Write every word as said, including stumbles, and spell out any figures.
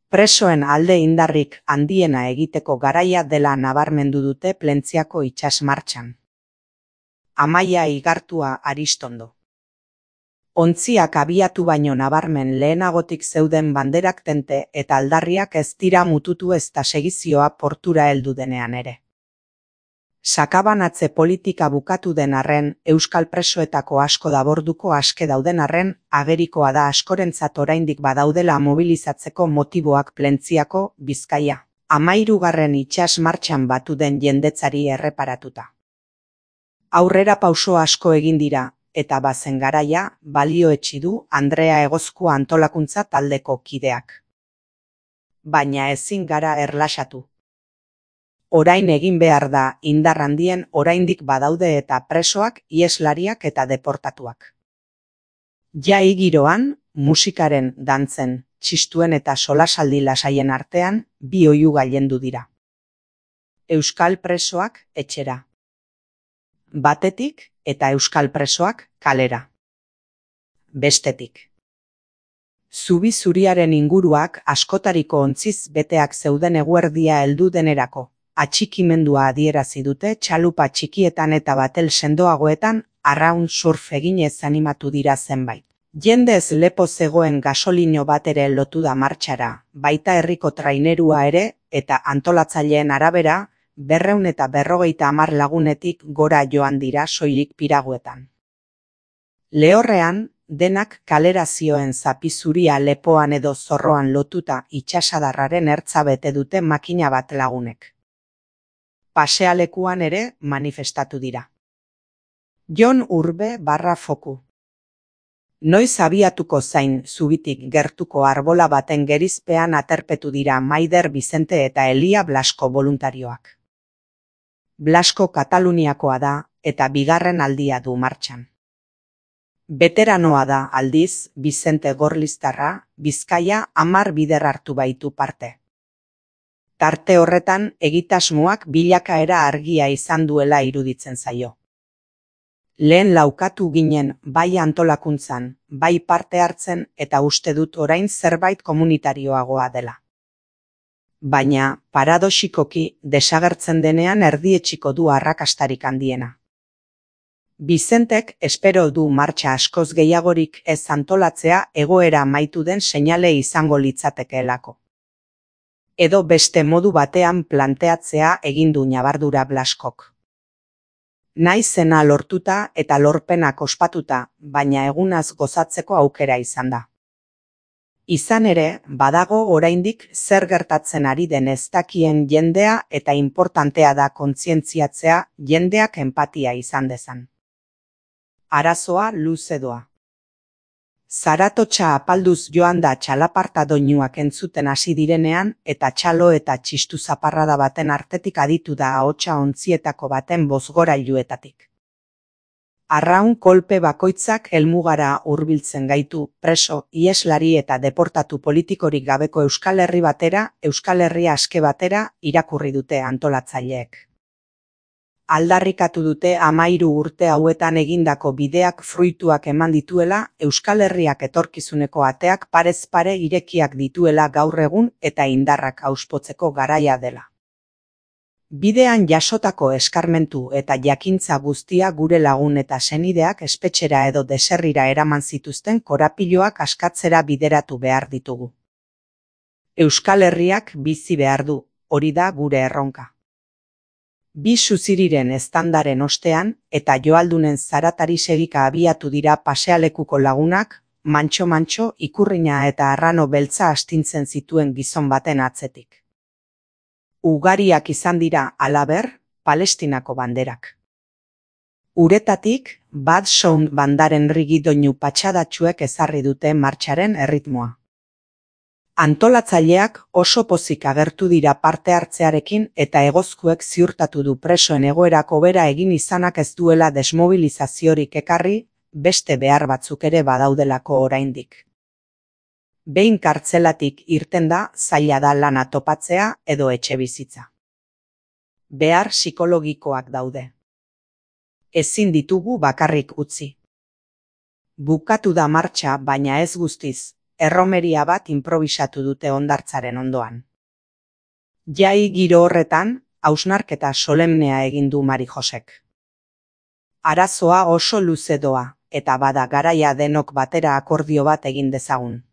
Presoen alde indarrik handiena egiteko garaia dela nabarmendu dute Plentziako itsas martxan. Amaia Igartua Aristondo. Ontziak abiatu baino nabarmen lehenagotik zeuden banderak tente eta aldarriak ez dira mututu ezta segizioa portura heldu denean ere. Sakabanatze politika bukatu den arren, euskal presoetako asko daborduko aske dauden arren, agerikoa da askorentzat oraindik badaudela mobilizatzeko motiboak Plentziako, Bizkaia, hamahirugarren itsas martxan batu den jendetzari erreparatuta. Aurrera pauso asko egin dira, eta bazen garaia, balioetsi du Andrea Egozkua antolakuntza taldeko kideak. Baina ezin gara erlaxatu. Orain egin behar da indar handien oraindik badaude eta presoak, ieslariak eta deportatuak. Jai giroan, musikaren, dantzen, txistuen eta solasaldi lasaien artean, bi oihu gailendu dira. Euskal presoak etxera. Batetik eta euskal presoak kalera. Bestetik. Zubi zuriaren inguruak askotariko ontziz beteak zeuden eguerdia heldu denerako. Atxikimendua adierazi dute txalupa txikietan eta batel sendoagoetan arraun surf eginez animatu dira zenbait. Jendez lepo zegoen gasolino bat ere lotu da martxara, baita herriko trainerua ere eta antolatzaileen arabera, berreun eta berrogeita hamar lagunetik gora joan dira soilik piraguetan. Lehorrean, denak kalera zioen zapi zuria lepoan edo zorroan lotuta itsasadarraren ertza bete dute makina bat lagunek. Pasealekuan ere manifestatu dira. Jon Urbe barra foku. Noiz abiatuko zain zubitik gertuko arbola baten gerizpean aterpetu dira Maider Bizente eta Elia Blasko boluntarioak. Blasko Kataluniakoa da eta bigarren aldia du martxan. Beteranoa da aldiz Bizente Gorliztarra, Bizkaia hamar bider hartu baitu parte. Tarte horretan egitasmoak bilakaera argia izan duela iruditzen zaio. Lehen laukatu ginen bai antolakuntzan, bai parte hartzen eta uste dut orain zerbait komunitarioagoa dela. Baina, paradoxikoki, desagertzen denean erdietsiko du arrakastarik handiena. Bizentek espero du martxa askoz gehiagorik ez antolatzea egoera amaitu den seinale izango litzatekeelako. Edo beste modu batean planteatzea egin du ñabardura Blaskok. Naizena lortuta eta lorpenak ospatuta, baina egunaz gozatzeko aukera izan da. Izan ere, badago oraindik zer gertatzen ari den ez dakien jendea eta inportantea da kontzientziatzea jendeak enpatia izan dezan. Arazoa luze doa. Zaratotxa apalduz joan da txalaparta doinuak entzuten hasi direnean eta txalo eta txistu zaparrada baten artetik aditu da ahotsa ontzietako baten bozgorailuetatik. Arraun kolpe bakoitzak helmugara hurbiltzen gaitu preso, ieslari eta deportatu politikorik gabeko Euskal Herri batera, Euskal Herria aske batera irakurri dute antolatzaileek. Aldarrikatu dute hamahiru urte hauetan egindako bideak fruituak eman dituela, Euskal Herriak etorkizuneko ateak parez pare irekiak dituela gaur egun eta indarrak auspotzeko garaia dela. Bidean jasotako eskarmentu eta jakintza guztia gure lagun eta senideak espetxera edo deserrira eraman zituzten korapiloak askatzera bideratu behar ditugu. Euskal Herriak bizi behar du, hori da gure erronka. Bi suziriren eztandaren ostean eta joaldunen zaratari segika abiatu dira pasealekuko lagunak, mantxo-mantxo ikurrina eta arrano beltza astintzen zituen gizon baten atzetik. Ugariak izan dira halaber, Palestinako banderak. Uretatik, Bad Sound bandaren rigidoinu patxadatxuek ezarri dute martxaren erritmoa. Antolatzaileak oso pozik agertu dira parte hartzearekin eta Egozkuek ziurtatu du presoen egoerako bera egin izanak ez duela desmobilizaziorik ekarri, beste behar batzuk ere badaudelako oraindik. Behin kartzelatik irten da, zaila da lana topatzea edo etxe bizitza. Behar psikologikoak daude. Ezin ditugu bakarrik utzi. Bukatu da martxa, baina ez guztiz. erromeria bat inprobisatu dute hondartzaren ondoan. Jai giro horretan, hausnarketa solemnea egin du Mari Josek. Arazoa oso luze doa, eta bada garaia denok batera akordio bat egin dezagun.